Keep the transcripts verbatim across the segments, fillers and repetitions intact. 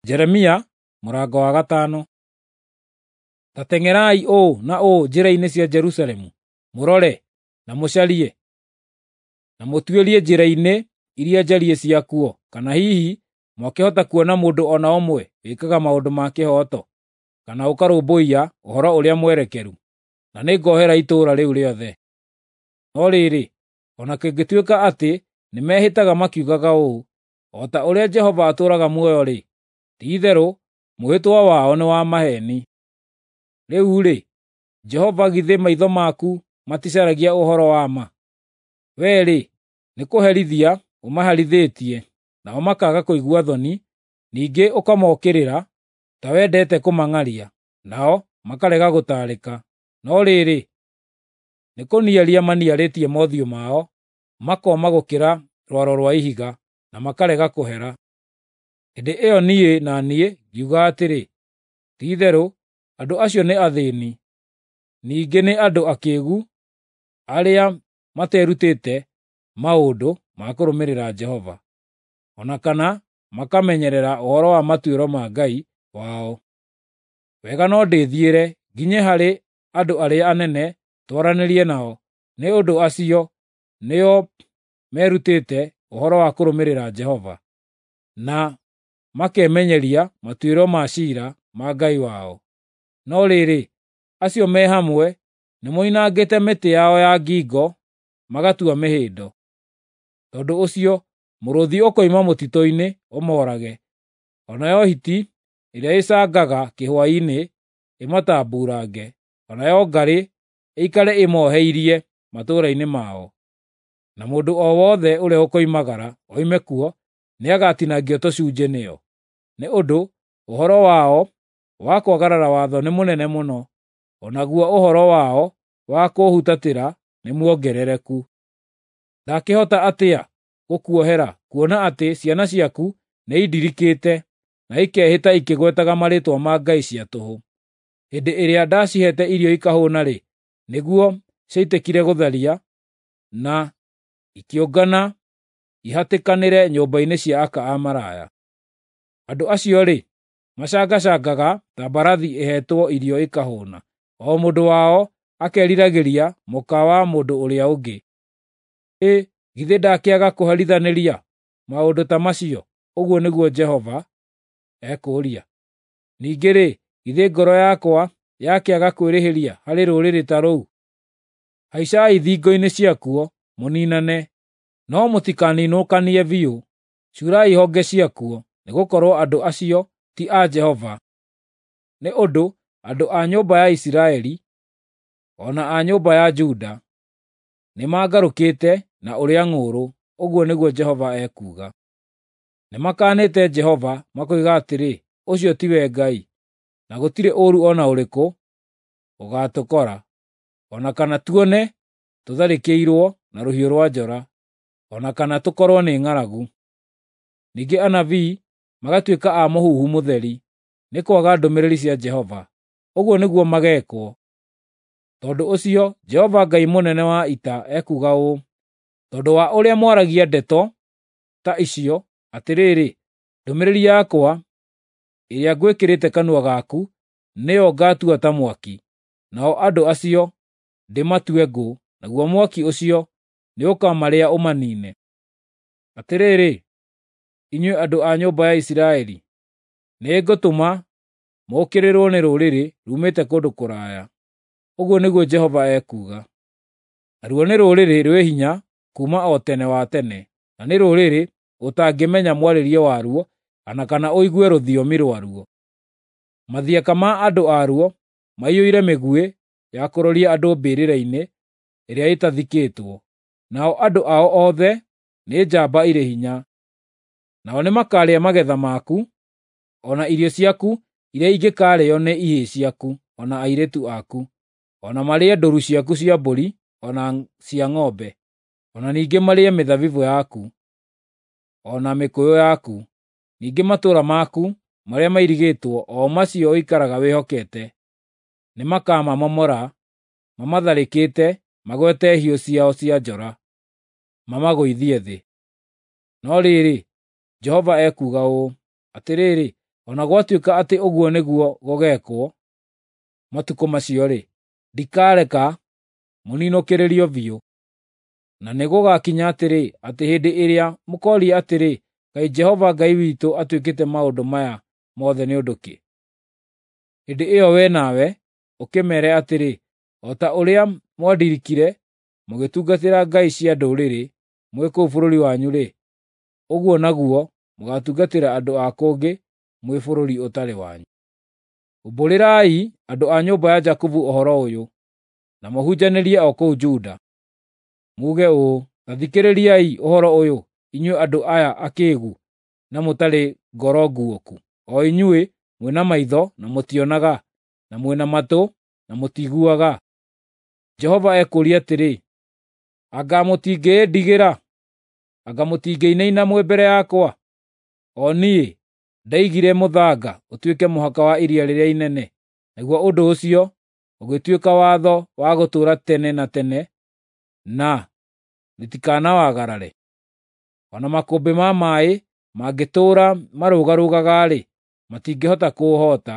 Jeremia mũrango wa gatano. Ta teng'erai ũũ na ũũ njĩra-inĩ cia Jerusalemu, mũrore na mũcarie, na mũtuĩrie njĩra-inĩ iria njariĩ ciakuo, kana hihi mwakĩhota kuona mũndũ o na ũmwe wĩkaga maũndũ ma kĩhooto, kana ũkarũmbũiya ũhoro ũrĩa mwerekeru, na nĩngohera itũũra rĩu rĩothe. No rĩrĩ, o na kũngĩtuĩka atĩ nĩmehĩtaga makiugaga ũũ, ‘O ta ũrĩa Jehova atũũraga muoyo-rĩ,’ ti-itherũ mwĩhĩtwa wao nĩ wa maheeni. Rĩu-rĩ, Jehova githĩ maitho maku maticaragia ũhoro wa ma? Wee-rĩ, nĩkũherithia ũmaherithĩtie, nao makaaga kũigua thoni, ningĩ ũkamookĩrĩra ta wendete kũmang'aria, nao makarega gũtaarĩka. No rĩrĩ, nĩkũniaria maniarĩtie mothiũ mao, makooma gũkĩra rwaro rwa ihiga, na makarega kũhera. Hĩndĩ ĩyo niĩ na niĩ ngiuga atĩrĩ, “Ti-itherũ andũ acio nĩ athĩĩni, ningĩ nĩ andũ akĩĩgu arĩa materutĩte maũndũ ma kũrũmĩrĩra Jehova, o na kana makamenyerera ũhoro wa matuĩro ma Ngai wao. Wega no ndĩthiĩre nginye harĩ andũ arĩa anene twaranĩrie nao, nĩ ũndũ acio nĩo merutĩte ũhoro wa kũrũmĩrĩra Jehova, na makemenyeria matuĩro ma ciira ma Ngai wao. No rĩrĩ, acio me hamwe nĩmoinangĩte mĩtĩ yao ya ngingo magatua mĩhĩndo. Tondũ ũcio mũrũũthi ũkoima mũtitũ-inĩ ũmoorage, o nayo hiti ĩrĩa ĩcangaga kĩhwaĩ-inĩ ĩmatambuurange, o nayo ngarĩ ĩikare ĩmooheirie matũũra-inĩ mao. Na mũndũ o wothe ũrĩa ũkoimagara oime kuo nĩagatinangio tũcunjĩ nĩyo, nĩ ũndũ ũhoro wao wa kwagarara watho nĩ mũnene mũno, o naguo ũhoro wao wa kũũhutatĩra nĩmuongerereku. Ndakĩhota atĩa gũkuohera kuona atĩ ciana ciaku nĩindirikĩte na ikehĩta ikĩgwetaga marĩĩtwa ma ngai cia tũhũ? Hĩndĩ ĩrĩa ndaciheete irio ikahũũna-rĩ, nĩguo ciaitĩkire gũtharia na ikĩũngana ihatĩkanĩre nyũmba-inĩ cia aka a maraya. Andũ acio-rĩ, macangacangaga ta mbarathi ĩheetwo irio ĩkahũũna, o mũndũ wao akeriragĩria mũka wa mũndũ ũrĩa ũngĩ. Ĩ, githĩ ndakĩaga kũherithanĩria maũndũ ta macio?” Ũguo nĩguo Jehova ekũũria. “Ningĩ-rĩ, githĩ ngoro yakwa yakĩaga kwĩrĩhĩria harĩ rũrĩrĩ ta rũu? Haicai thingo-inĩ ciakuo mũniinane, no mũtikaninũkanie biũ. Cuurai honge ciakuo, nĩgũkorwo andũ acio ti a Jehova. Nĩ ũndũ andũ a nyũmba ya Isiraeli o na a nyũmba ya Juda nĩmangarũkĩte na ũrĩa ng'ũũrũ,” ũguo nĩguo Jehova ekuuga. “Nĩmakaanĩte Jehova makoiga atĩrĩ, ‘Ũcio tiwe Ngai,’ na gũtirĩ ũũru o na ũrĩkũ ũgaatũkora, o na kana tuone tũtharĩkĩirwo na rũhiũ rwa njora, o na kana tũkorwo nĩ ng'aragu.” Ningĩ anabii magatuĩka a mũhuhu mũtheri, nĩ kwaga ndũmĩrĩri cia Jehova. Ũguo nĩguo mageekwo. Tondũ ũcio Jehova Ngai mũnene wa ita ekuuga ũũ: “Tondũ wa ũrĩa mwaragia ndeto ta icio, atĩrĩrĩ, ndũmĩrĩri yakwa ĩrĩa ngwĩkĩrĩte kanua gaku nĩyo ngatua ta mwaki, nao andũ acio ndĩmatue ngũ, naguo mwaki ũcio nĩũkamarĩa ũmaniine. Atĩrĩrĩ, inyuĩ andũ a nyũmba ya Isiraeli, nĩngũtũma mũũkĩrĩrwo nĩ rũrĩrĩ ruumĩte kũndũ kũraya,” ũguo nĩguo Jehova ekuuga. “Naruo nĩ rũrĩrĩ rwĩ hinya kuuma o tene wa tene, na nĩ rũrĩrĩ ũtangĩmenya mwarĩrie waruo o na kana ũigue rũthiomi rwaruo. Mathiaka ma andũ aruo maiyũire mĩguĩ ya kũroria andũ mbĩrĩra-inĩ ĩrĩa ĩtathikĩtwo, nao andũ ao othe nĩ njamba irĩ hinya. Nao nĩmakarĩa magetha maku, o na irio ciaku iria ingĩkaarĩĩo nĩ ihĩĩ ciaku o na airĩtu aku, o na marĩe ndũũru ciaku cia mbũri o na cia ng'ombe, o na ningĩ marĩe mĩthabibũ yaku, o na mĩkũyũ yaku. Ningĩ matũũra maku marĩa mairigĩtwo, o macio ũikaraga wĩhokete, nĩmakamamomora mamatharĩkĩte magwete hiũ ciao cia njora, mamagũithie thĩ. No rĩrĩ, Jehova ekuuga ũũ: Atĩrĩrĩ, O na gwatuĩka atĩ ũguo nĩguo gũgeekwo matukũ macio-rĩ, ndikareka mũninũkĩrĩrio biũ. Na nĩgũgakinya atĩrĩ, atĩ hĩndĩ ĩrĩa mũkooria atĩrĩ, ‘Kaĩ Jehova Ngai witũ atwĩkĩte maũndũ maya mothe nĩ ũndũ kĩ?’ Hĩndĩ ĩyo wee nawe ũkĩmeere atĩrĩ, ‘O ta ũrĩa mwandirikire mũgĩtungatĩra ngai cia ndũrĩrĩ mwĩ kũu bũrũri wanyu-rĩ, ũguo naguo mũgaatungatĩra andũ a kũngĩ mwĩ bũrũri ũtarĩ wanyu.’ Umbũrĩrai andũ a nyũmba ya Jakubu ũhoro ũyũ, na mũhunjanĩrie o kũu Juda. Muuge ũũ, ‘Ta thikĩrĩriai ũhoro ũyũ, inyuĩ andũ aya akĩĩgu na mũtarĩ ngoro nguũku, o inyuĩ mwĩ na maitho na mũtionaga, na mwĩ na matũ na mũtiiguaga.’ Jehova ekũũria atĩrĩ, ‘Anga mũtingĩĩndigĩra? Anga mũtingĩinaina mwĩ mbere yakwa? O niĩ ndaigire mũthanga ũtuĩke mũhaka wa iria rĩrĩa inene, naguo ũndũ ũcio ũgĩtuĩka watho wa gũtũũra tene na tene, na rĩtikanawagarare. O na makũmbĩ ma maaĩ mangĩtũũra marũgarũgaga-rĩ, matingĩhota kũũhoota;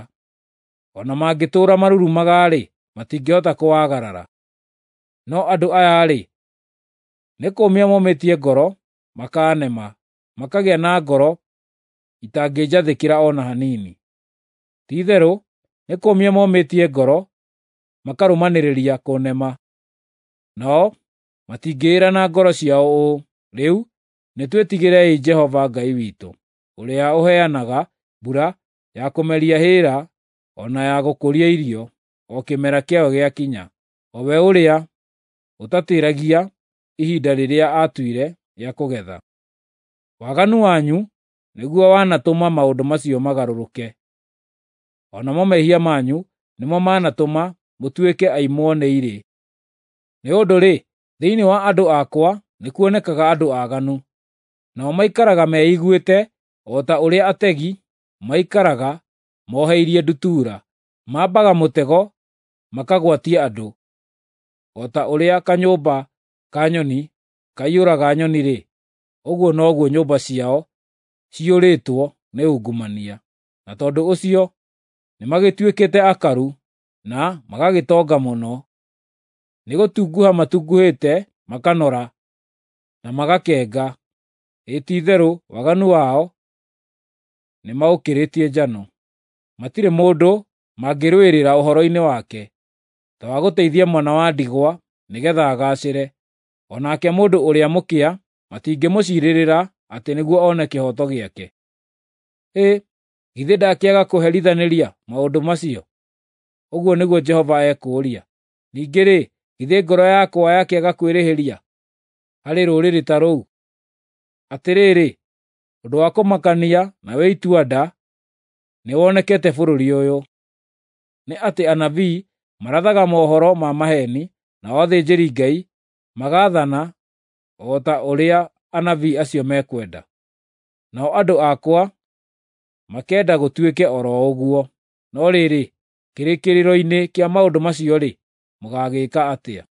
o na mangĩtũũra marurumaga-rĩ, matingĩhota kũwagarara. No andũ aya-rĩ, nĩ kũũmia momĩtie ngoro makaanema, makagĩa na ngoro itangĩnjathĩkĩra o na hanini. Ti-itherũ nĩ kũũmia momĩtie ngoro makarũmanĩrĩria kũnema. Nao matingĩĩra na ngoro ciao ũũ, ‘Rĩu nĩtwĩtigĩrei Jehova Ngai witũ, ũrĩa ũheanaga mbura ya kũmeria hĩĩra o na ya gũkũria irio, o kĩmera kĩayo gĩakinya, o we ũrĩa ũtatĩĩragia ihinda rĩrĩa aatuire rĩa kũgetha.’ Waganu wanyu nĩguo wanatũma maũndũ macio magarũrũke, o namo mehia manyu nĩmo manatũma mũtuĩke aimwo nĩ irĩ. Nĩ ũndũ-rĩ, thĩinĩ wa andũ akwa nĩkuonekaga andũ aaganu, nao maikaraga meiguĩte o ta ũrĩa ategi maikaraga moheirie ndutura. Mambaga mũtego makagwatia andũ, o ta ũrĩa kanyũmba ka nyoni kaiyũraga nyoni-rĩ, ũguo noguo nyũmba ciao ciyũrĩtwo nĩ ungumania. Na tondũ ũcio nĩmagĩtuĩkĩte akaru na magagĩtonga mũno. Nĩgũtunguha matunguhĩte makanora na magakenga, ĩ ti-itherũ waganu wao nĩmaũkĩrĩtie njano. Matirĩ mũndũ mangĩrũĩrĩra ũhoro-inĩ wake, ta wa gũteithia mwana wa ndigwa nĩgeetha agaacĩre. O nake mũndũ ũrĩa mũkĩa matingĩmũciirĩrĩra atĩ nĩguo one kĩhooto gĩake. Hĩ, githĩ ndakĩaga kũherithanĩria maũndũ macio? Ũguo nĩguo Jehova ekũũria. Ningĩ-rĩ, githĩ ngoro yakwa yakĩaga kwĩrĩhĩria harĩ rũrĩrĩ ta rũu? Atĩrĩrĩ, ũndũ wa kũmakania na wĩ itua-nda nĩwonekete bũrũri ũyũ: nĩ atĩ anabii marathaga mohoro ma maheeni, nao athĩnjĩri-Ngai magaathana o ta ũrĩa anabii acio mekwenda. Nao andũ akwa makenda gũtuĩke o ro ũguo. No rĩrĩ, kĩrĩkĩrĩro-inĩ kĩa maũndũ macio-rĩ, mũgaagĩka atĩa?